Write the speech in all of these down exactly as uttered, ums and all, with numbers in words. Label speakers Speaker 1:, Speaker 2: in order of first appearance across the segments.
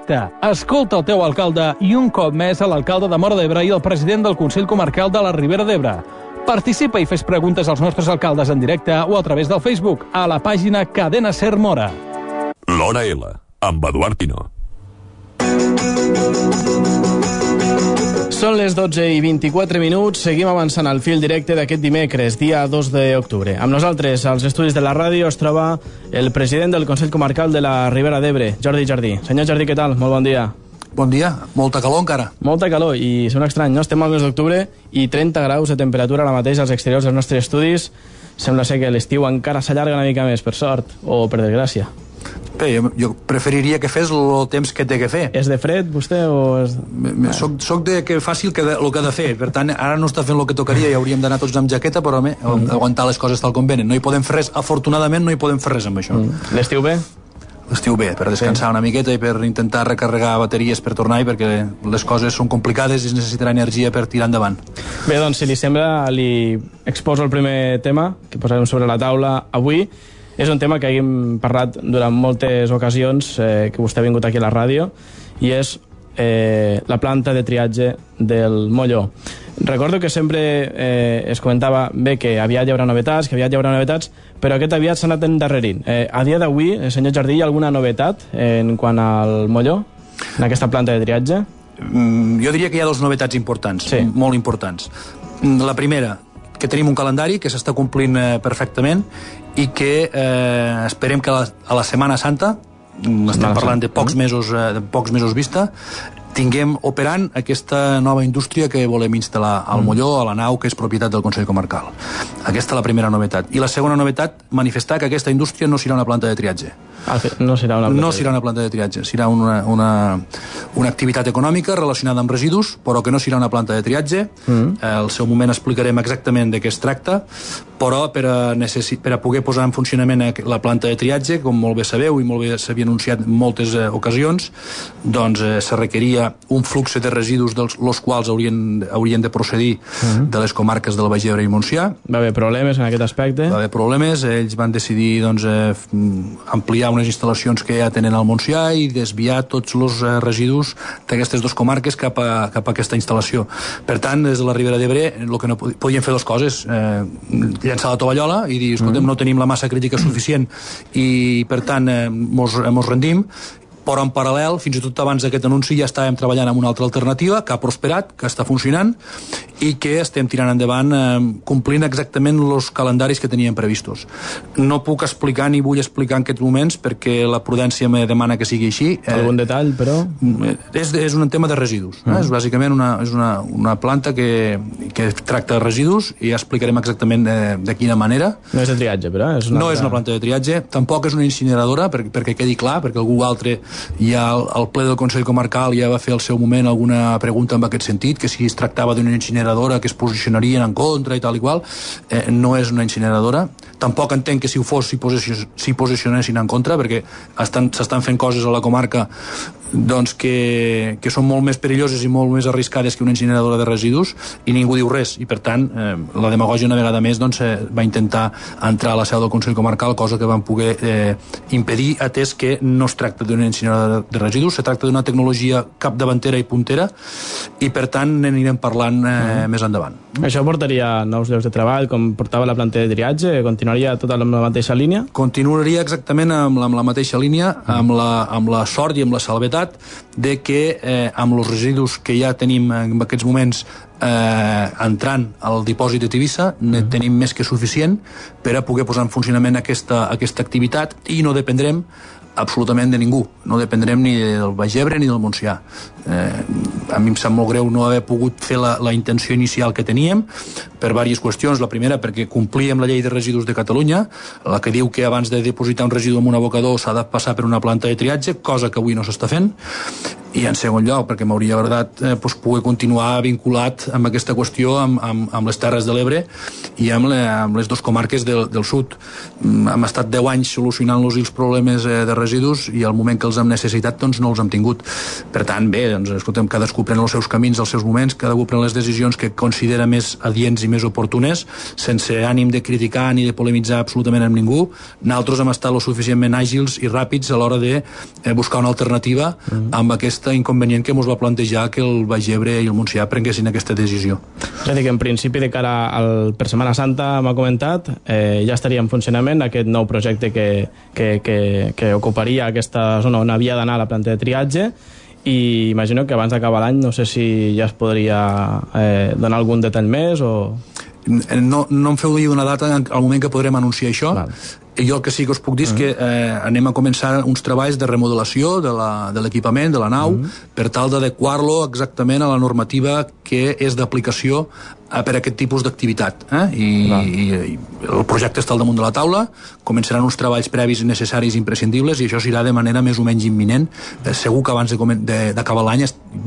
Speaker 1: directe. Escolta el teu alcalde i un cop més a l'alcalde de Móra d'Ebre i el president del Consell Comarcal de la Ribera d'Ebre. Participa i fes preguntes als nostres alcaldes en directe o a través del Facebook a la pàgina Cadena Ser Móra.
Speaker 2: L'Hora L, amb Eduard Pino.
Speaker 3: Són les dotze i vint-i-quatre minuts. Seguim avançant al fil directe d'aquest dimecres, dia dos d'octubre. Amb nosaltres, als estudis de la ràdio, es troba el president del Consell Comarcal de la Ribera d'Ebre, Jordi Jardí. Senyor Jardí, què tal? Molt bon dia.
Speaker 4: Bon dia. Molta calor encara.
Speaker 3: Molta calor, i sembla estrany, no? Estem al mes d'octubre i trenta graus de temperatura ara mateix als exteriors dels nostres estudis. Sembla ser que l'estiu encara s'allarga una mica més, per sort, o per desgràcia.
Speaker 4: Bé, jo, jo preferiria que fes el temps que té que fer.
Speaker 3: És de fred, vostè, o és...
Speaker 4: Soc, soc de que faci el que, el que ha de fer. Per tant, ara no està fent el que tocaria i hauríem d'anar tots amb jaqueta, però home, mm. aguantar les coses tal com venen. No hi podem fer res, afortunadament no hi podem fer res amb això.
Speaker 3: Mm. L'estiu bé?
Speaker 4: L'estiu bé, per descansar sí. una miqueta i per intentar recarregar bateries per tornar-hi, perquè les coses són complicades i es necessitarà energia per tirar endavant.
Speaker 3: Bé, doncs, si li sembla, li exposo el primer tema que posarem sobre la taula avui. És un tema que hem parlat durant moltes ocasions, eh, que vostè ha vingut aquí a la ràdio, i és eh, la planta de triatge del Molló. Recordo que sempre eh, es comentava bé que aviat hi haurà novetats, que aviat hi haurà novetats, però aquest aviat s'ha anat endarrerint. Eh, a dia d'avui, senyor Jardí, hi ha alguna novetat en quant al Molló, en aquesta planta de triatge?
Speaker 4: Mm, jo diria que hi ha dues novetats importants, sí. molt importants. La primera, que tenim un calendari que s'està complint eh, perfectament i que eh, esperem que a la, a la Setmana Santa, estem parlant de pocs mesos, eh, de pocs mesos vista, tinguem operant aquesta nova indústria que volem instal·lar al Molló, a la nau, que és propietat del Consell Comarcal. Aquesta és la primera novetat. I la segona novetat, manifestar que aquesta indústria no serà una planta de triatge.
Speaker 3: Ah, no serà una planta,
Speaker 4: no serà una planta de triatge. Serà una, una, una activitat econòmica relacionada amb residus, però que no serà una planta de triatge. Mm. Al seu moment explicarem exactament de què es tracta, però per a, necessi- per a poder posar en funcionament la planta de triatge, com molt bé sabeu i molt bé s'havia anunciat en moltes eh, ocasions, doncs eh, se requeria un flux de residus dels los quals haurien, haurien de procedir uh-huh. de les comarques del Baix Ebre i Montsià.
Speaker 3: Va haver problemes en aquest aspecte?
Speaker 4: Va haver problemes, ells van decidir doncs, eh, ampliar unes instal·lacions que ja tenen al Montsià i desviar tots els eh, residus d'aquestes dues comarques cap a, cap a aquesta instal·lació. Per tant, des de la Ribera d'Ebre, el que no podien fer dues coses, eh, llançar la tovallola i dir, escoltem, uh-huh. no tenim la massa crítica suficient i, per tant, eh, mos, mos rendim, però en paral·lel, fins i tot abans d'aquest anunci, ja estàvem treballant amb una altra alternativa que ha prosperat, que està funcionant i que estem tirant endavant eh, complint exactament els calendaris que teníem previstos. No puc explicar ni vull explicar en aquests moments perquè la prudència me demana que sigui així.
Speaker 3: Algun eh, detall, però?
Speaker 4: És, és un tema de residus. Mm. Eh? És bàsicament una, és una, una planta que, que tracta de residus i ja explicarem exactament de, de quina manera.
Speaker 3: No és de triatge, però? És una
Speaker 4: no
Speaker 3: altra...
Speaker 4: és una planta de triatge, tampoc és una incineradora, per, perquè quedi clar, perquè algú altre ja el, el ple del Consell Comarcal ja va fer al seu moment alguna pregunta en aquest sentit, que si es tractava d'una incineradora que es posicionarien en contra i tal i qual, eh, no és una incineradora. Tampoc entenc que si ho fos s'hi si posicionessin en contra, perquè s'estan fent coses a la comarca doncs que, que són molt més perilloses i molt més arriscades que una incineradora de residus i ningú diu res, i per tant eh, la demagògia una vegada més doncs, eh, va intentar entrar a la seu del Consell Comarcal, cosa que van poder eh, impedir, atès que no es tracta d'una incineradora de residus, se tracta d'una tecnologia capdavantera i puntera i per tant n'anirem parlant eh, mm. més endavant.
Speaker 3: Això portaria nous llocs de treball com portava la planta de triatge? Continuaria tota la mateixa línia?
Speaker 4: Continuaria exactament amb la, amb la mateixa línia, amb la, amb la sort i amb la salvetat de que eh, amb els residus que ja tenim en aquests moments eh, entrant al dipòsit de Tivissa ne mm. tenim més que suficient per a poder posar en funcionament aquesta, aquesta activitat i no dependrem absolutament de ningú, no dependrem ni del Baix Ebre ni del Montsià. Eh, a mi em sap molt greu no haver pogut fer la, la intenció inicial que teníem per diverses qüestions. La primera, perquè complíem la llei de residus de Catalunya, la que diu que abans de depositar un residu en un abocador s'ha de passar per una planta de triatge, cosa que avui no s'està fent, i en segon lloc, perquè m'hauria agradat eh, doncs, poder continuar vinculat amb aquesta qüestió amb, amb, amb les Terres de l'Ebre i amb, le, amb les dues comarques del, del sud. Hem estat deu anys solucionant-los els problemes eh, de residus i al moment que els hem necessitat doncs no els hem tingut. Per tant, bé, doncs, escoltem, cadascú pren els seus camins, els seus moments, cadascú pren les decisions que considera més adients i més oportunes, sense ànim de criticar ni de polemitzar absolutament amb ningú. Nosaltres hem estat lo suficientment àgils i ràpids a l'hora de eh, buscar una alternativa mm. amb aquest inconvenient que ens va plantejar que el Baix Ebre i el Montsià prenguessin aquesta decisió.
Speaker 3: És a dir, que en principi de cara al, per Setmana Santa m'ha comentat, eh, ja estaria en funcionament aquest nou projecte que, que, que, que ocuparia aquesta zona on havia d'anar la planta de triatge, i imagino que abans d'acabar l'any no sé si ja es podria eh, donar algun detall més o...
Speaker 4: No, no em feu dir una data al moment que podrem anunciar això. Val. Jo el que sí que us puc dir és que eh, anem a començar uns treballs de remodelació de l'equipament, de, de la nau, mm. per tal d'adequar-lo exactament a la normativa que és d'aplicació eh, per a aquest tipus d'activitat. Eh? I, i, I el projecte està al damunt de la taula, començaran uns treballs previs necessaris i imprescindibles, i això serà de manera més o menys imminent. Eh, segur que abans d'acabar l'any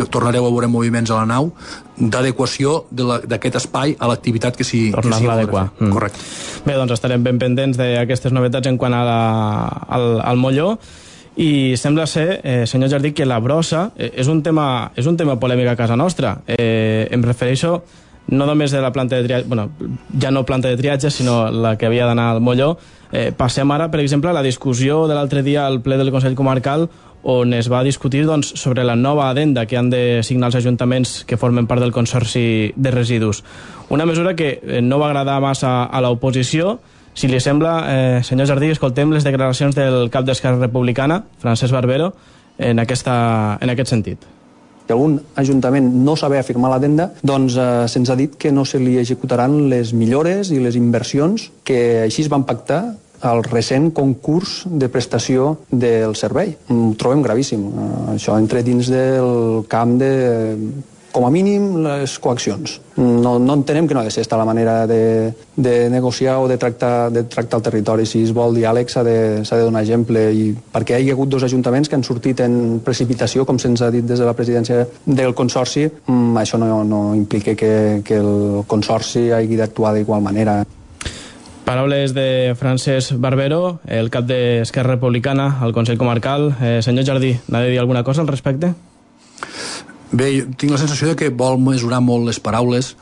Speaker 4: tornareu a veure moviments a la nau d'adequació d'aquest espai a l'activitat que s'hi vol
Speaker 3: adequar.
Speaker 4: Mm. Correcte.
Speaker 3: Bé, doncs estarem ben pendents d'aquestes novetats en quant a la, al, al Molló, i sembla ser, eh, senyor Jardí, que la brossa eh, és, un tema, és un tema polèmic a casa nostra. Eh, em refereixo no només de la planta de triatge, bueno, ja no planta de triatge, sinó la que havia d'anar al Molló. Eh, passem ara, per exemple, a la discussió de l'altre dia al ple del Consell Comarcal, on es va discutir doncs, sobre la nova adenda que han de signar els ajuntaments que formen part del Consorci de Residus. Una mesura que no va agradar massa a l'oposició. Si li sembla, eh, senyor Jardí, escoltem les declaracions del cap d'Esquerra Republicana, Francesc Barbero, en, aquesta, en aquest sentit.
Speaker 5: Si algun ajuntament no saber firmar l'adenda, doncs eh, se'ns ha dit que no se li executaran les millores i les inversions que així es van pactar al recent concurs de prestació del servei. Ho trobem gravíssim. Això entra dins del camp de, com a mínim, les coaccions. No, no entenem que no ha de ser esta la manera de, de negociar o de tractar, de tractar el territori. Si es vol diàleg s'ha de, s'ha de donar exemple, i perquè hi ha hagut dos ajuntaments que han sortit en precipitació, com se'ns ha dit des de la presidència del Consorci, això no, no implica que, que el Consorci hagi d'actuar d'igual manera.
Speaker 3: Paraules de Francesc Barbero, el cap d'Esquerra Republicana al Consell Comarcal. Eh, senyor Jardí, n'ha de dir alguna cosa al respecte?
Speaker 4: Bé, jo tinc la sensació de que vol mesurar molt les paraules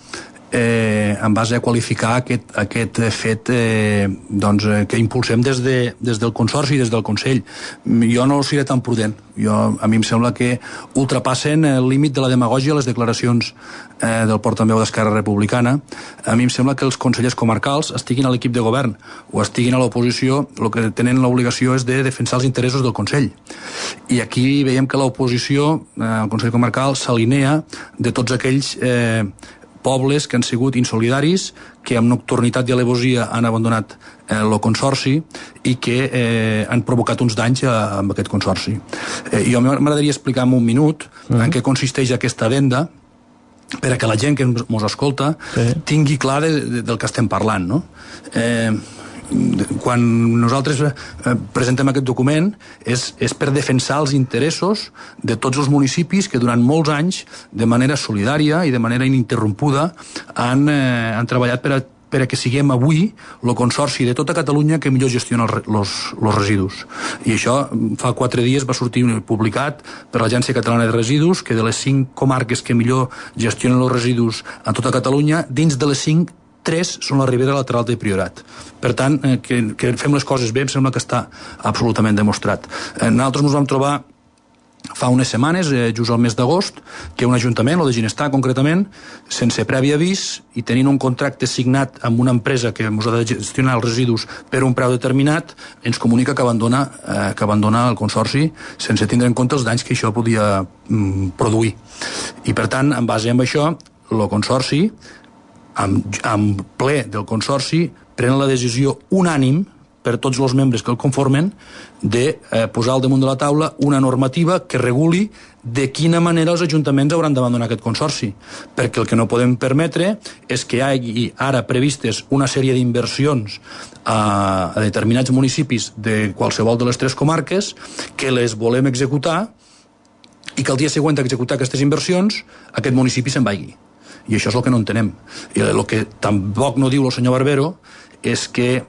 Speaker 4: eh, en base a qualificar aquest, aquest fet eh, doncs, eh, que impulsem des, de, des del Consorci i des del Consell. Jo no seré tan prudent. Jo, a mi em sembla que ultrapassen el límit de la demagògia les declaracions eh, del portaveu d'Esquerra Republicana. A mi em sembla que els consellers comarcals estiguin a l'equip de govern o estiguin a l'oposició, el que tenen l'obligació és de defensar els interessos del Consell. I aquí veiem que l'oposició, eh, el Consell Comarcal, s'alinea de tots aquells eh, pobles que han sigut insolidaris, que amb nocturnitat i alevosia han abandonat eh, el Consorci i que eh, han provocat uns danys a, amb aquest Consorci. Eh, jo m'agradaria explicar en un minut mm. en què consisteix aquesta adenda, per a que la gent que ens escolta sí. tingui clar de, de, del que estem parlant, no? Eh, quan nosaltres presentem aquest document és, és per defensar els interessos de tots els municipis que durant molts anys de manera solidària i de manera ininterrompuda han, eh, han treballat per a per a que siguem avui el consorci de tota Catalunya que millor gestiona els residus. I això fa quatre dies va sortir publicat per l'Agència Catalana de Residus, que de les cinc comarques que millor gestionen els residus a tota Catalunya, dins de les cinc, tres són la Ribera Lateral de Priorat. Per tant, eh, que, que fem les coses bé, em sembla que està absolutament demostrat. Eh, nosaltres ens vam trobar fa unes setmanes, eh, just al mes d'agost, que un ajuntament, el de Ginestar concretament, sense previ avís i tenint un contracte signat amb una empresa que ens ha de gestionar els residus per un preu determinat, ens comunica que abandona, eh, que abandona el consorci sense tindre en compte els danys que això podia mm, produir. I per tant, en base amb això, el consorci, amb, amb ple del consorci, pren la decisió unànim per tots els membres que el conformen, de eh, posar al damunt de la taula una normativa que reguli de quina manera els ajuntaments hauran d'abandonar aquest consorci. Perquè el que no podem permetre és que hi hagi ara previstes una sèrie d'inversions a, a determinats municipis de qualsevol de les tres comarques que les volem executar i que el dia següent d'executar aquestes inversions aquest municipi se'n vagi. I això és el que no entenem. I el que tampoc no diu el senyor Barbero és que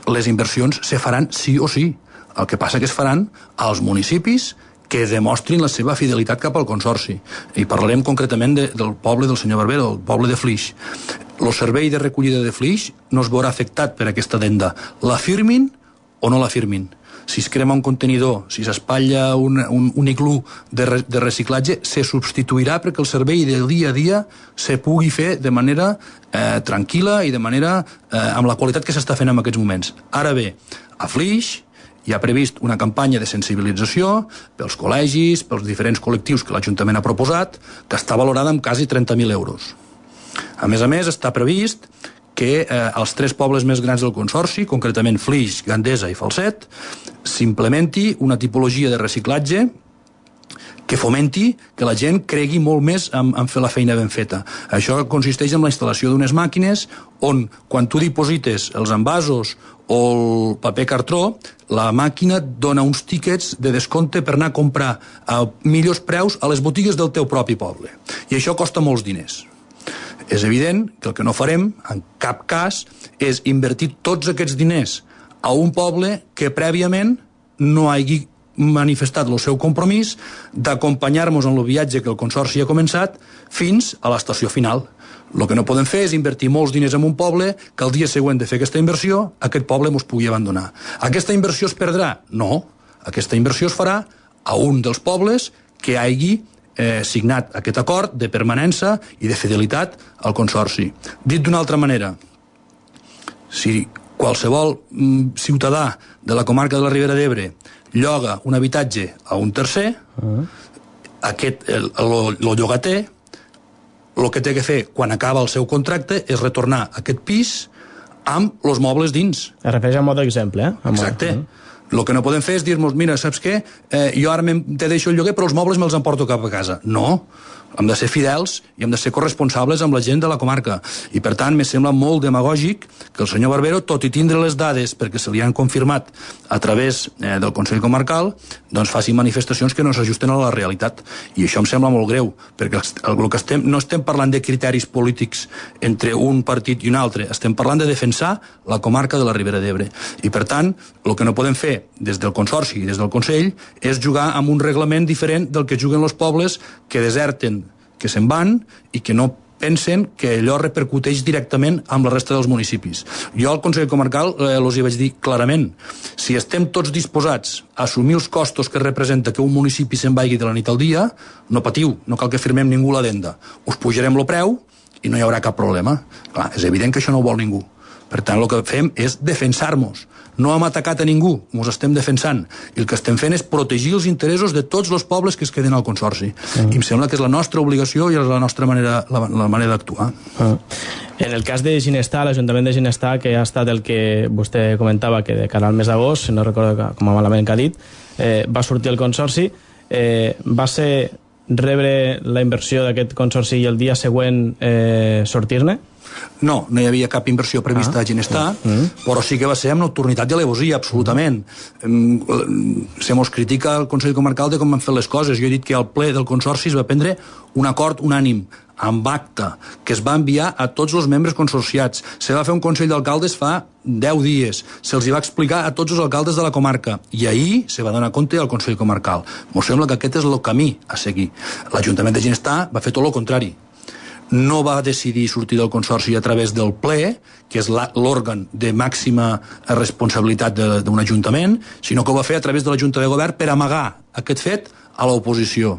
Speaker 4: les inversions se faran sí o sí. El que passa que es faran als municipis que demostrin la seva fidelitat cap al consorci. I parlarem concretament de, del poble del senyor Barbero, el poble de Flix. El servei de recollida de Flix no es veurà afectat per aquesta addenda. La firmin o no la firmin. Si es crema un contenidor, si s'espatlla un, un, un iglú de, re, de reciclatge, se substituirà perquè el servei del dia a dia se pugui fer de manera eh, tranquil·la i de manera eh, amb la qualitat que s'està fent en aquests moments. Ara bé, a Flix hi ha previst una campanya de sensibilització pels col·legis, pels diferents col·lectius que l'Ajuntament ha proposat, que està valorada amb quasi trenta mil euros. A més a més, està previst que eh, als tres pobles més grans del consorci, concretament Flix, Gandesa i Falset, s'implementi una tipologia de reciclatge que fomenti que la gent cregui molt més en, en fer la feina ben feta. Això consisteix en la instal·lació d'unes màquines on, quan tu diposites els envasos o el paper cartró, la màquina et dona uns tíquets de descompte per anar a comprar a millors preus a les botigues del teu propi poble. I això costa molts diners. És evident que el que no farem, en cap cas, és invertir tots aquests diners a un poble que prèviament no hagi manifestat el seu compromís d'acompanyar-nos en el viatge que el Consorci ha començat fins a l'estació final. El que no podem fer és invertir molts diners en un poble que el dia següent de fer aquesta inversió, aquest poble ens pugui abandonar. Aquesta inversió es perdrà? No. Aquesta inversió es farà a un dels pobles que hagi eh, signat aquest acord de permanència i de fidelitat al Consorci. Dit d'una altra manera, si qualsevol mm, ciutadà de la comarca de la Ribera d'Ebre lloga un habitatge a un tercer, uh-huh. aquest, el, el, el llogater, el que té que fer quan acaba el seu contracte és retornar aquest pis amb els mobles dins.
Speaker 3: Es refereix a mod d'exemple, eh?
Speaker 4: Exacte. Uh-huh. El que no podem fer és dir-nos, mira, saps què? Eh, jo ara te deixo el lloguer, però els mobles me'ls emporto cap a casa. No. Hem de ser fidels i hem de ser corresponsables amb la gent de la comarca. I, per tant, me sembla molt demagògic que el senyor Barbero, tot i tindre les dades perquè se li han confirmat a través eh, del Consell Comarcal, doncs faci manifestacions que no s'ajusten a la realitat. I això em sembla molt greu, perquè el, el que estem, no estem parlant de criteris polítics entre un partit i un altre, estem parlant de defensar la comarca de la Ribera d'Ebre. I, per tant, el que no podem fer des del Consorci i des del Consell és jugar amb un reglament diferent del que juguen els pobles que deserten, que se'n van i que no pensen que allò repercuteix directament amb la resta dels municipis. Jo al Consell Comarcal eh, els hi vaig dir clarament, si estem tots disposats a assumir els costos que representa que un municipi se'n vagi de la nit al dia, no patiu, no cal que firmem ningú l'addenda. Us pujarem el preu i no hi haurà cap problema. Clar, és evident que això no ho vol ningú. Per tant, el que fem és defensar-nos. No hem atacat a ningú, ens estem defensant. I el que estem fent és protegir els interessos de tots els pobles que es queden al Consorci. Mm. I em sembla que és la nostra obligació i és la nostra manera, la, la manera d'actuar.
Speaker 3: Mm. En el cas de Ginestar, l'Ajuntament de Ginestar, que ha estat el que vostè comentava, que de cara al mes d'agost, si no recordo com a malament que ha dit, eh, va sortir el Consorci, eh, va ser rebre la inversió d'aquest Consorci i el dia següent eh, sortir-ne?
Speaker 4: No, no hi havia cap inversió prevista ah. a Ginestar, mm. però sí que va ser amb nocturnitat i alevosia, absolutament. Mm. Se mos critica el Consell Comarcal de com han fet les coses. Jo he dit que al ple del Consorci es va prendre un acord unànim, amb acte, que es va enviar a tots els membres consorciats. Se va fer un Consell d'Alcaldes fa deu dies. Se'ls va explicar a tots els alcaldes de la comarca. I ahir se va donar compte al Consell Comarcal. M'ho sembla que aquest és el camí a seguir. L'Ajuntament de Ginestar va fer tot el contrari. No va decidir sortir del Consorci a través del ple, que és l'òrgan de màxima responsabilitat d'un ajuntament, sinó que ho va fer a través de la Junta de Govern per amagar aquest fet a l'oposició.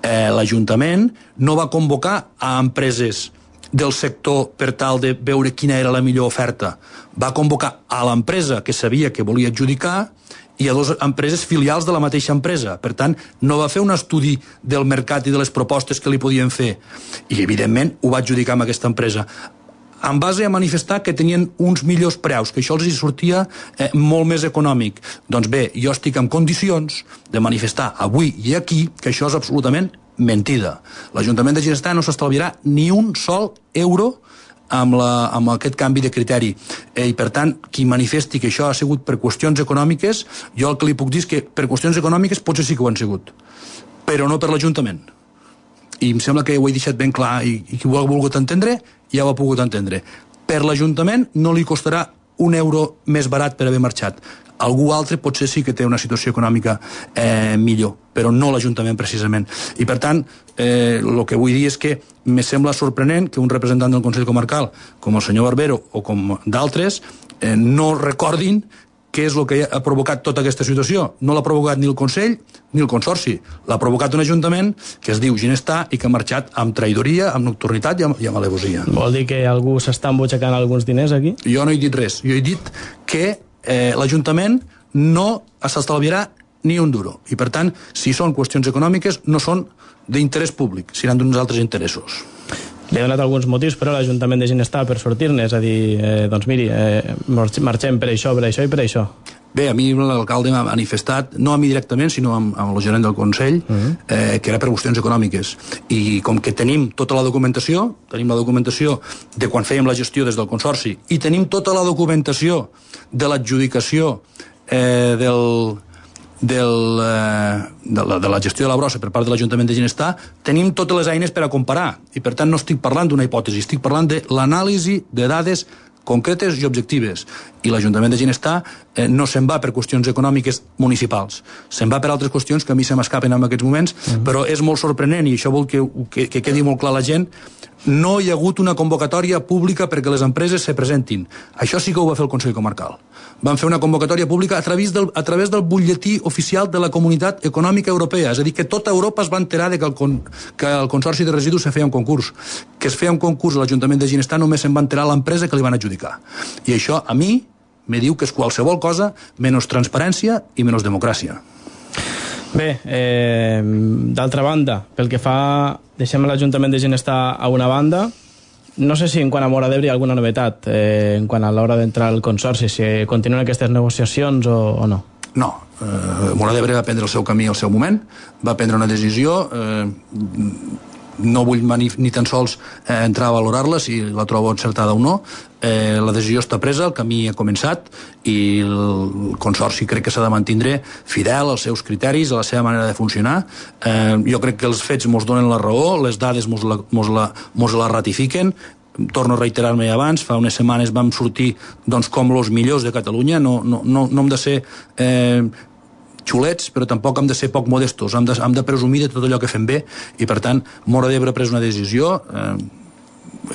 Speaker 4: Eh, L'Ajuntament no va convocar a empreses del sector per tal de veure quina era la millor oferta. Va convocar a l'empresa que sabia que volia adjudicar i a dues empreses filials de la mateixa empresa. Per tant, no va fer un estudi del mercat i de les propostes que li podien fer. I, evidentment, ho va adjudicar amb aquesta empresa, en base a manifestar que tenien uns millors preus, que això els hi sortia eh, molt més econòmic. Doncs bé, jo estic en condicions de manifestar avui i aquí que això és absolutament mentida. L'Ajuntament de Ginestar no s'estalviarà ni un sol euro amb, la, amb aquest canvi de criteri. Eh, I, per tant, qui manifesti que això ha sigut per qüestions econòmiques, jo el que li puc dir és que per qüestions econòmiques potser sí que ho han sigut, però no per l'Ajuntament. I em sembla que ho he deixat ben clar i, i qui ho ha volgut entendre ja ho ha pogut entendre. Per l'Ajuntament no li costarà un euro més barat per haver marxat. Algú altre potser sí que té una situació econòmica eh, millor, però no l'Ajuntament precisament. I per tant, eh, el que vull dir és que me sembla sorprenent que un representant del Consell Comarcal, com el senyor Barbero o com d'altres, eh, no recordin què és el que ha provocat tota aquesta situació. No l'ha provocat ni el Consell ni el Consorci. L'ha provocat un Ajuntament que es diu Ginestar i que ha marxat amb traïdoria, amb nocturnitat i amb, i amb alevosia.
Speaker 3: Vol dir que algú s'està embutxacant alguns diners aquí?
Speaker 4: Jo no he dit res. Jo he dit que eh, l'Ajuntament no s'estalviarà ni un duro. I per tant, si són qüestions econòmiques, no són d'interès públic, seran d'uns altres interessos.
Speaker 3: Li he donat alguns motius, però l'Ajuntament de Ginestar per sortir-ne, és a dir, eh, doncs miri, eh, marxem per això, per això i per això.
Speaker 4: Bé, a mi l'alcalde m'ha manifestat, no a mi directament, sinó amb, amb el gerent del Consell, uh-huh. eh, que era per qüestions econòmiques. I com que tenim tota la documentació, tenim la documentació de quan fèiem la gestió des del Consorci, i tenim tota la documentació de l'adjudicació eh, del... Del, eh, de, la, de la gestió de la brossa per part de l'Ajuntament de Ginestar, tenim totes les eines per a comparar, i per tant no estic parlant d'una hipòtesi, estic parlant de l'anàlisi de dades concretes i objectives. I l'Ajuntament de Ginestar eh, no se'n va per qüestions econòmiques municipals, se'n va per altres qüestions que a mi se m'escapen en aquests moments, uh-huh. però és molt sorprenent, i això vol que, que, que quedi molt clar a la gent, no hi ha hagut una convocatòria pública perquè les empreses se presentin. Això sí que ho va fer el Consell Comarcal. Van fer una convocatòria pública a través del, a través del butlletí oficial de la Comunitat Econòmica Europea. És a dir, que tota Europa es va enterar de que el, con, que el Consorci de Residus se feia un concurs. Que es feia un concurs a l'Ajuntament de Ginestar només se'n va enterar l'empresa que li van adjudicar. I això, a mi, me diu que és qualsevol cosa menys transparència i menys democràcia.
Speaker 3: Bé, eh, d'altra banda, pel que fa, deixem l'Ajuntament de Ginestar a una banda. No sé si en quant a Móra d'Ebre hi ha alguna novetat eh, en quant a l'hora d'entrar al Consorci, si continuen aquestes negociacions o, o no.
Speaker 4: No, eh, Móra d'Ebre va prendre el seu camí al seu moment, va prendre una decisió, eh, no vull ni, ni tan sols eh, entrar a valorar-la, si la trobo encertada o no. Eh, la decisió està presa, el camí ha començat i el Consorci crec que s'ha de mantindre fidel als seus criteris, a la seva manera de funcionar. Eh, jo crec que els fets mos donen la raó, les dades mos la, mos la, mos la ratifiquen. Torno a reiterar-me abans, fa unes setmanes vam sortir doncs, com els millors de Catalunya, no, no, no, no hem de ser eh, xulets, però tampoc hem de ser poc modestos, hem de, hem de presumir de tot allò que fem bé, i per tant Móra d'Ebre ha pres una decisió, eh,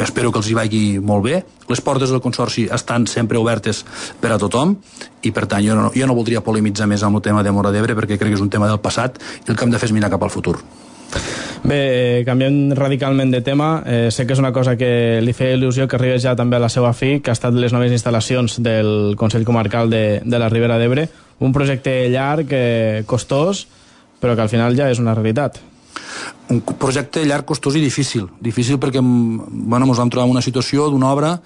Speaker 4: espero que els hi vagi molt bé. Les portes del Consorci estan sempre obertes per a tothom i per tant jo no, jo no voldria polemitzar més amb el tema de Móra d'Ebre perquè crec que és un tema del passat i el que hem de fer és mirar cap al futur.
Speaker 3: Bé, canviant radicalment de tema, eh, sé que és una cosa que li feia il·lusió que arribés ja també a la seva fi, que ha estat les noves instal·lacions del Consell Comarcal de, de la Ribera d'Ebre, un projecte llarg, eh, costós, però que al final ja és una realitat.
Speaker 4: Un projecte llarg, costós i difícil. Difícil perquè bueno, ens vam trobar en una situació d'una obra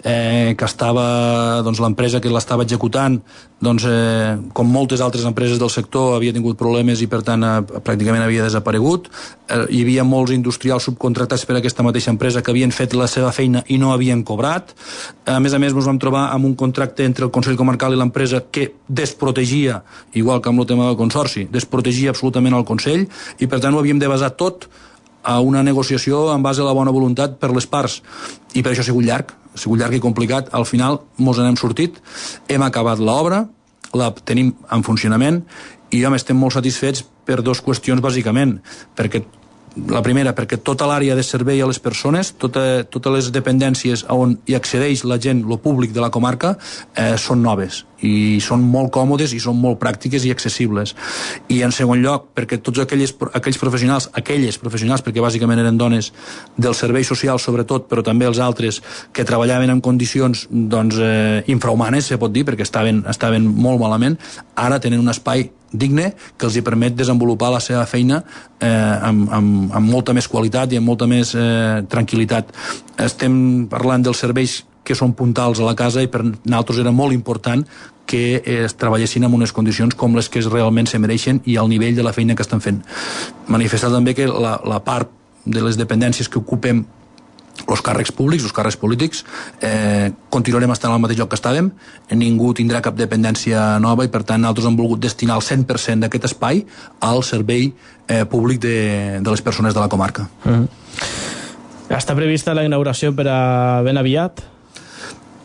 Speaker 4: eh, que estava, doncs, l'empresa que l'estava executant, doncs, eh, com moltes altres empreses del sector, havia tingut problemes i per tant eh, pràcticament havia desaparegut. Eh, hi havia molts industrials subcontractats per a aquesta mateixa empresa que havien fet la seva feina i no havien cobrat. A més a més, ens vam trobar amb un contracte entre el Consell Comarcal i l'empresa que desprotegia, igual que amb el tema del Consorci, desprotegia absolutament el Consell i per tant ho havíem de basar tot a una negociació en base a la bona voluntat per les parts i per això ha sigut llarg, ha sigut llarg i complicat. Al final mos n'hem sortit, hem acabat l'obra, la tenim en funcionament i jo estem molt satisfets per dues qüestions bàsicament, perquè la primera, perquè tota l'àrea de servei a les persones, tota, totes les dependències on hi accedeix la gent, lo públic de la comarca, eh, són noves i són molt còmodes i són molt pràctiques i accessibles. I en segon lloc, perquè tots aquells, aquells professionals, aquelles professionals, perquè bàsicament eren dones del servei social sobretot, però també els altres que treballaven en condicions doncs, eh, infrahumanes, se pot dir, perquè estaven, estaven molt malament, ara tenen un espai digne que els hi permet desenvolupar la seva feina eh, amb, amb, amb molta més qualitat i amb molta més eh, tranquil·litat. Estem parlant dels serveis que són puntals a la casa i per nosaltres era molt important que es treballessin en unes condicions com les que realment se mereixen i al nivell de la feina que estan fent. Manifestar també que la, la part de les dependències que ocupem els càrrecs públics, els càrrecs polítics, eh, continuarem estant al mateix lloc que estàvem, ningú tindrà cap dependència nova i per tant nosaltres hem volgut destinar el cent per cent d'aquest espai al servei eh, públic de, de les persones de la comarca. Mm-hmm.
Speaker 3: Està prevista la inauguració per a ben aviat?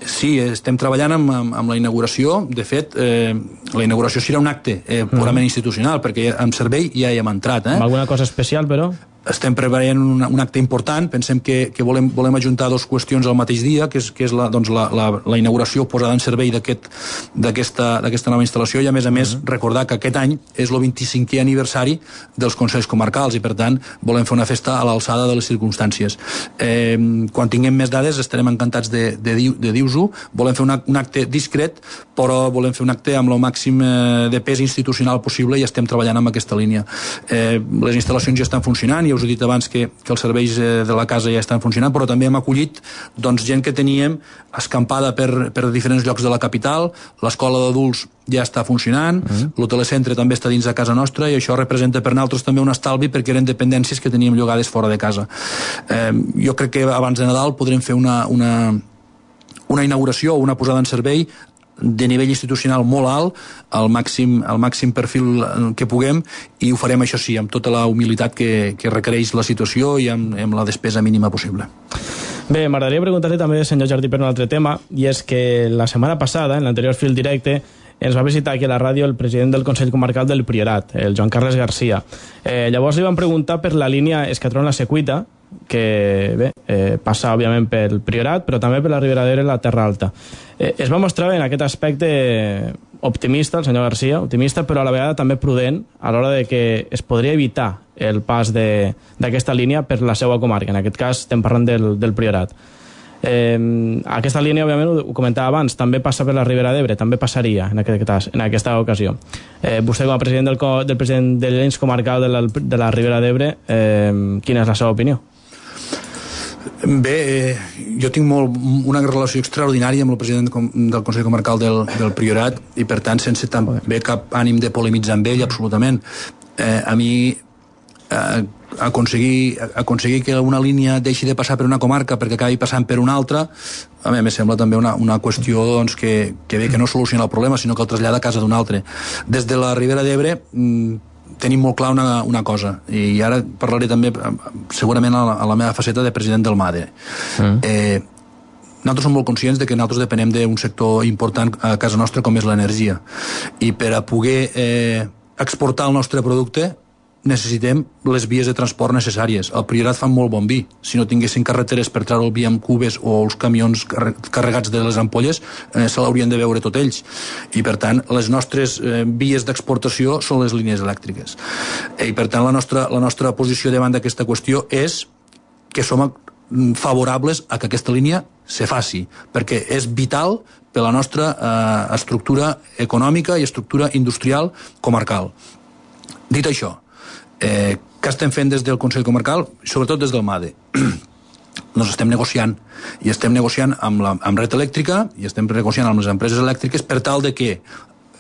Speaker 4: Sí, estem treballant amb, amb, amb la inauguració. De fet, eh, la inauguració serà un acte eh, purament mm. institucional, perquè en servei ja hi hem entrat. Eh?
Speaker 3: Alguna cosa especial, però?
Speaker 4: Estem preparant un, un acte important. Pensem que, que volem, volem ajuntar dues qüestions al mateix dia, que és, que és la, doncs la, la, la inauguració posada en servei d'aquesta aquest, nova instal·lació, i a més a més mm. recordar que aquest any és el vint-i-cinquè aniversari dels Consells Comarcals, i per tant volem fer una festa a l'alçada de les circumstàncies. Eh, quan tinguem més dades estarem encantats de, de, de dir-vos-ho. Volem fer un, un acte discret, però volem fer un acte amb el màxim eh, de pes institucional possible, i estem treballant amb aquesta línia. Eh, les instal·lacions ja estan funcionant, i us he dit abans que, que els serveis de la casa ja estan funcionant, però també hem acollit doncs, gent que teníem escampada per, per diferents llocs de la capital. L'escola d'adults ja està funcionant, mm. l'hotelcentre també està dins de casa nostra, i això representa per nosaltres també un estalvi, perquè eren dependències que teníem llogades fora de casa. Eh, jo crec que abans de Nadal podrem fer una, una, una inauguració o una posada en servei de nivell institucional molt alt, al màxim, al màxim perfil que puguem, i ho farem, això sí, amb tota la humilitat que, que requereix la situació i amb, amb la despesa mínima possible.
Speaker 3: Bé, m'agradaria preguntar-li també, senyor Jardí, per un altre tema, i és que la setmana passada, en l'anterior fil directe, ens va visitar aquí a la ràdio el president del Consell Comarcal del Priorat, el Joan Carles Garcia. Eh, llavors li van preguntar per la línia Escatrón-La Secuita, que bé, eh, passa òbviament pel Priorat, però també per la Ribera d'Ebre i la Terra Alta. Eh, es va mostrar en aquest aspecte optimista, el senyor Garcia, optimista, però a la vegada també prudent a l'hora de que es podria evitar el pas d'aquesta línia per la seva comarca. En aquest cas estem parlant del, del Priorat. Eh, aquesta línia, òbviament, ho comentava abans, també passa per la Ribera d'Ebre, també passaria en, aquest, en aquesta ocasió. Eh, vostè, com a president del, del president de l'ens comarcal de la, de la Ribera d'Ebre, eh, quina és la seva opinió?
Speaker 4: Bé, eh, jo tinc molt, una relació extraordinària amb el president del Consell Comarcal del, del Priorat, i per tant sense també cap ànim de polemitzar amb ell, absolutament. Eh, a mi eh, aconseguir, aconseguir que una línia deixi de passar per una comarca perquè acabi passant per una altra, a mi em sembla també una, una qüestió doncs, que, que bé que no soluciona el problema, sinó que el trasllada a casa d'un altre. Des de la Ribera d'Ebre tenim molt clar una, una cosa, i ara parlaré també segurament a la, a la meva faceta de president del MADE. Mm. Eh, nosaltres som molt conscients de que nosaltres depenem d'un sector important a casa nostra com és l'energia, i per a poder eh, exportar el nostre producte necessitem les vies de transport necessàries. El Priorat fa molt bon vi. Si no tinguessin carreteres per treure el vi amb cubes o els camions carregats de les ampolles, eh, se l'haurien de veure tot ells. I, per tant, les nostres eh, vies d'exportació són les línies elèctriques. I, per tant, la nostra, la nostra posició davant d'aquesta qüestió és que som favorables a que aquesta línia se faci, perquè és vital per la nostra eh, estructura econòmica i estructura industrial comarcal. Dit això, Eh, què estem fent des del Consell Comarcal? Sobretot des del MADE. Doncs estem negociant, i estem negociant amb, la, amb Red Elèctrica, i estem negociant amb les empreses elèctriques per tal de que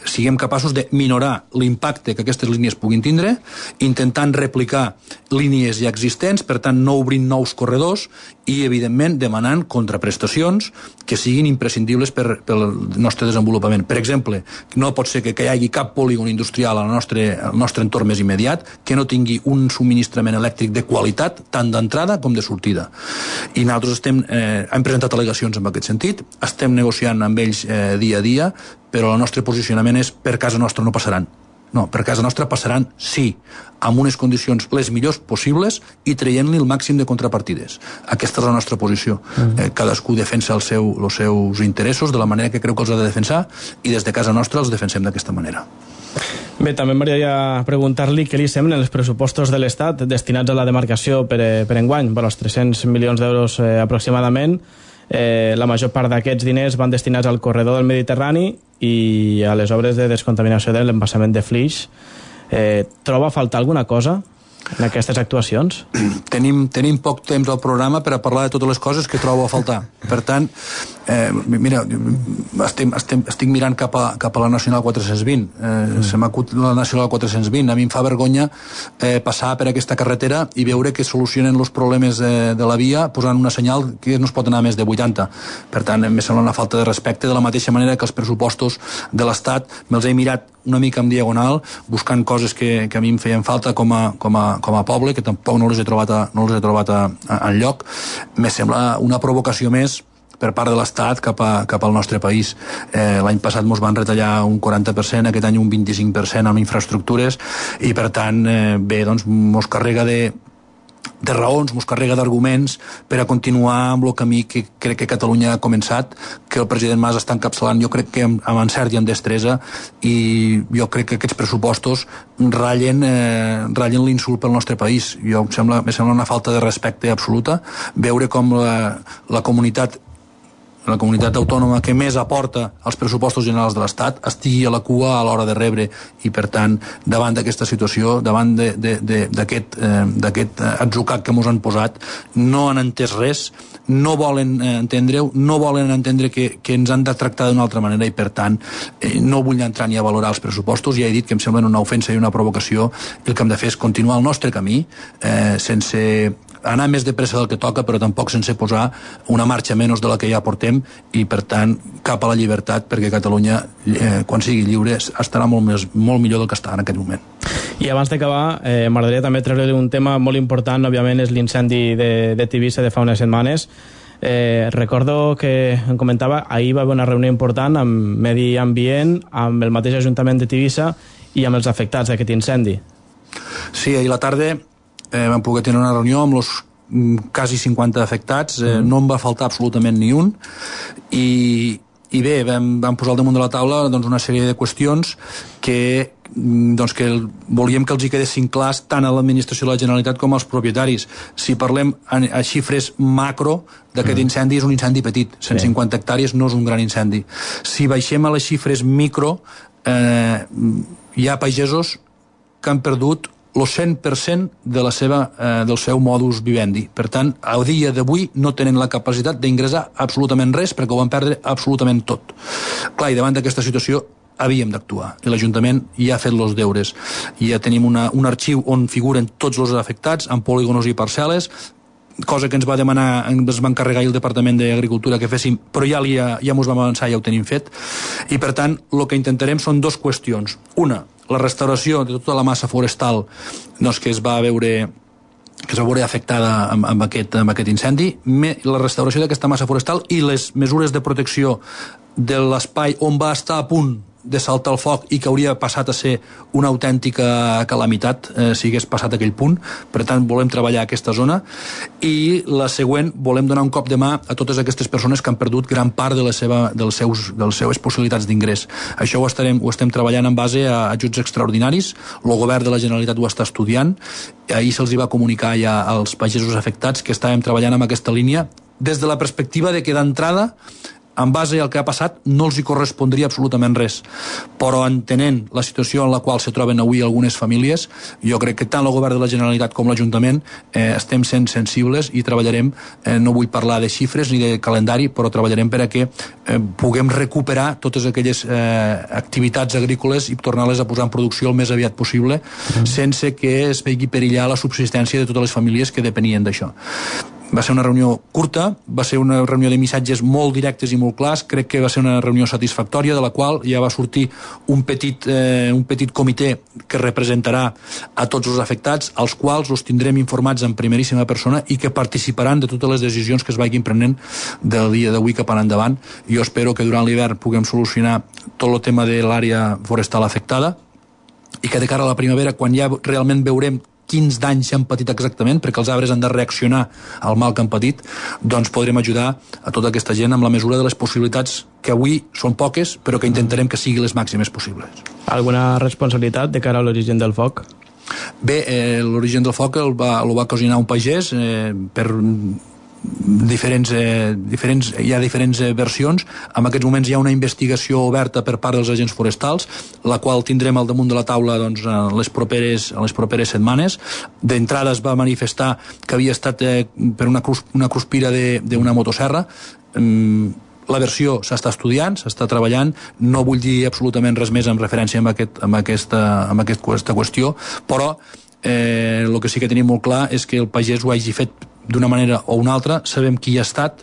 Speaker 4: siguem capaços de minorar l'impacte que aquestes línies puguin tindre, intentant replicar línies ja existents, per tant no obrint nous corredors, i evidentment demanant contraprestacions que siguin imprescindibles per, pel nostre desenvolupament. Per exemple, no pot ser que, que hi hagi cap polígon industrial al nostre, al nostre entorn més immediat que no tingui un subministrament elèctric de qualitat, tant d'entrada com de sortida. I nosaltres estem, eh, hem presentat al·legacions en aquest sentit, estem negociant amb ells eh, dia a dia, però el nostre posicionament és per casa nostra no passaran. No, per casa nostra passaran, sí, amb unes condicions les millors possibles i traient-li el màxim de contrapartides. Aquesta és la nostra posició. Mm. Eh, cadascú defensa el seu, els seus interessos de la manera que creu que els ha de defensar, i des de casa nostra els defensem d'aquesta manera.
Speaker 3: Bé, també m'agradaria preguntar-li què li semblen els pressupostos de l'Estat destinats a la demarcació per, per enguany, per als tres-cents milions d'euros eh, aproximadament. Eh, la major part d'aquests diners van destinats al corredor del Mediterrani i a les obres de descontaminació de l'embassament de Flix. Eh, troba a faltar alguna cosa en aquestes actuacions?
Speaker 4: Tenim, tenim poc temps al programa per a parlar de totes les coses que trobo a faltar. Per tant, eh, mira, estem, estem, estic mirant cap a, cap a la Nacional quatre-cents vint. Eh, mm. Se m'acut la Nacional quatre-cents vint. A mi em fa vergonya eh, passar per aquesta carretera i veure que solucionen els problemes de, de la via posant una senyal que no es pot anar més de vuitanta. Per tant, em sembla una falta de respecte, de la mateixa manera que els pressupostos de l'Estat me'ls he mirat una mica en diagonal, buscant coses que, que a mi em feien falta com a, com a, com a poble, que tampoc no les he trobat, a, no les he trobat a, a, en lloc. Me sembla una provocació més per part de l'Estat cap, a, cap al nostre país. Eh, l'any passat ens van retallar un quaranta per cent, aquest any un vint-i-cinc per cent en infraestructures, i per tant, eh, bé, doncs, mos carrega de de raons, mos carrega d'arguments per a continuar amb el camí que crec que Catalunya ha començat, que el president Mas està encapçalant, jo crec que amb, amb encert i amb destresa, i jo crec que aquests pressupostos ratllen, eh, ratllen l'insult pel nostre país. Jo, em sembla, em sembla una falta de respecte absoluta veure com la, la comunitat la comunitat autònoma que més aporta als pressupostos generals de l'Estat estigui a la cua a l'hora de rebre, i per tant, davant d'aquesta situació, davant d'aquest eh, atzucac que ens han posat, no han entès res, no volen eh, entendre-ho, no volen entendre que, que ens han de tractar d'una altra manera, i per tant eh, no vull entrar ni a valorar els pressupostos. Ja he dit que em semblen una ofensa i una provocació, i el que hem de fer és continuar el nostre camí eh, sense anar més de pressa del que toca, però tampoc sense posar una marxa menys de la que ja portem, i per tant cap a la llibertat, perquè Catalunya eh, quan sigui lliure estarà molt, més, molt millor del que està en aquest moment.
Speaker 3: I abans d'acabar, eh, m'agradaria també treure un tema molt important, òbviament és l'incendi de, de Tivissa de fa unes setmanes. Eh, recordo que em comentava, ahir va haver una reunió important amb Medi Ambient, amb el mateix Ajuntament de Tivissa i amb els afectats d'aquest incendi.
Speaker 4: Sí, ahir a la tarda Eh, vam poder tenir una reunió amb els quasi cinquanta afectats, eh, mm. no en va faltar absolutament ni un, i, i bé, vam, vam posar al damunt de la taula doncs, una sèrie de qüestions que, doncs, que el, volíem que els hi quedessin clars tant a l'administració de la Generalitat com als propietaris. Si parlem a, a xifres macro d'aquest mm. incendi, és un incendi petit, cent cinquanta sí. hectàrees no és un gran incendi. Si baixem a les xifres micro, eh, hi ha pagesos que han perdut el cent per cent de la seva, eh, del seu modus vivendi. Per tant, a dia d'avui no tenen la capacitat d'ingressar absolutament res, perquè ho van perdre absolutament tot. Clar, i davant d'aquesta situació havíem d'actuar, i l'Ajuntament ja ha fet els deures. I ja tenim una, un arxiu on figuren tots els afectats, amb polígonos i parcel·les, cosa que ens va demanar, ens va encarregar el Departament d'Agricultura que féssim, però ja, ja, ja ens vam avançar, ja ho tenim fet, i per tant el que intentarem són dues qüestions. Una, la restauració de tota la massa forestal doncs, que es va veure que es va veure afectada amb, amb, aquest, amb aquest incendi, me, la restauració d'aquesta massa forestal i les mesures de protecció de l'espai on va estar a punt de saltar el foc i que hauria passat a ser una autèntica calamitat eh, si hagués passat aquell punt. Per tant, volem treballar aquesta zona, i la següent, volem donar un cop de mà a totes aquestes persones que han perdut gran part de la seva, dels seus, de les seves possibilitats d'ingrés. Això ho, estarem, ho estem treballant en base a ajuts extraordinaris, el govern de la Generalitat ho està estudiant, ahir se'ls va comunicar ja als pagesos afectats que estàvem treballant en aquesta línia, des de la perspectiva de que d'entrada, en base al que ha passat, no els hi correspondria absolutament res. Però entenent la situació en la qual se troben avui algunes famílies, jo crec que tant el govern de la Generalitat com l'Ajuntament eh, estem sent sensibles i treballarem, eh, no vull parlar de xifres ni de calendari, però treballarem per a que eh, puguem recuperar totes aquelles eh, activitats agrícoles i tornar-les a posar en producció el més aviat possible, mm. sense que es vegi perillar la subsistència de totes les famílies que depenien d'això. Va ser una reunió curta, va ser una reunió de missatges molt directes i molt clars, crec que va ser una reunió satisfactòria, de la qual ja va sortir un petit, eh, un petit comitè que representarà a tots els afectats, als quals els tindrem informats en primeríssima persona i que participaran de totes les decisions que es vagin prenent del dia d'avui cap endavant. Jo espero que durant l'hivern puguem solucionar tot el tema de l'àrea forestal afectada, i que de cara a la primavera, quan ja realment veurem quins danys s'han patit exactament, perquè els arbres han de reaccionar al mal que han patit, doncs podrem ajudar a tota aquesta gent amb la mesura de les possibilitats que avui són poques, però que intentarem que siguin les màximes possibles.
Speaker 3: Alguna responsabilitat de cara a l'origen del foc?
Speaker 4: Bé, eh, l'origen del foc el va, el va ocasionar un pagès eh, per diferents, eh, diferents, hi ha diferents eh, versions. En aquests moments hi ha una investigació oberta per part dels agents forestals, la qual tindrem al damunt de la taula doncs, en, les properes, en les properes setmanes. D'entrada es va manifestar que havia estat eh, per una, cruz, una cruspira d'una motosserra. Mm, la versió s'està estudiant, s'està treballant, no vull dir absolutament res més en referència amb, aquest, amb, aquesta, amb aquesta qüestió, però eh, el que sí que tenim molt clar és que el pagès ho hagi fet d'una manera o una altra, sabem qui ha estat,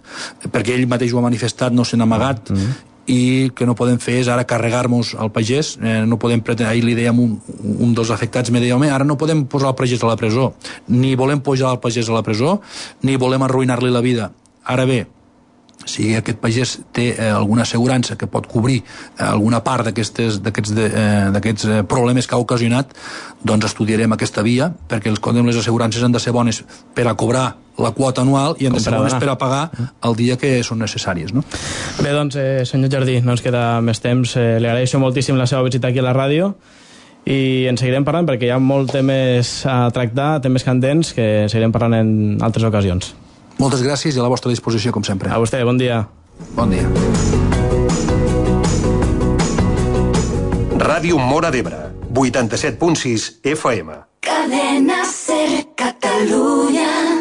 Speaker 4: perquè ell mateix ho ha manifestat, no se n'ha amagat, mm-hmm. i que no podem fer és ara carregar-nos al pagès, eh, no podem pretendre, ahir li dèiem un, un dels afectats, me deia, home, ara no podem posar el pagès a la presó, ni volem posar el pagès a la presó, ni volem arruïnar-li la vida. Ara bé, si aquest pagès té eh, alguna assegurança que pot cobrir eh, alguna part d'aquests eh, problemes que ha ocasionat, doncs estudiarem aquesta via, perquè els, les assegurances han de ser bones per a cobrar la quota anual i han de ser bones per a pagar el dia que són necessàries. No?
Speaker 3: Bé, doncs, eh, senyor Jardí, no ens queda més temps. Eh, li agraeixo moltíssim la seva visita aquí a la ràdio i en seguirem parlant perquè hi ha molts temes a tractar, temes candents, que seguirem parlant en altres ocasions.
Speaker 4: Moltes gràcies i a la vostra disposició, com sempre.
Speaker 3: A vostè, bon dia.
Speaker 4: Bon dia.
Speaker 6: Ràdio Móra d'Ebre, vuitanta-set punt sis F M.
Speaker 7: Cadena Ser Catalunya.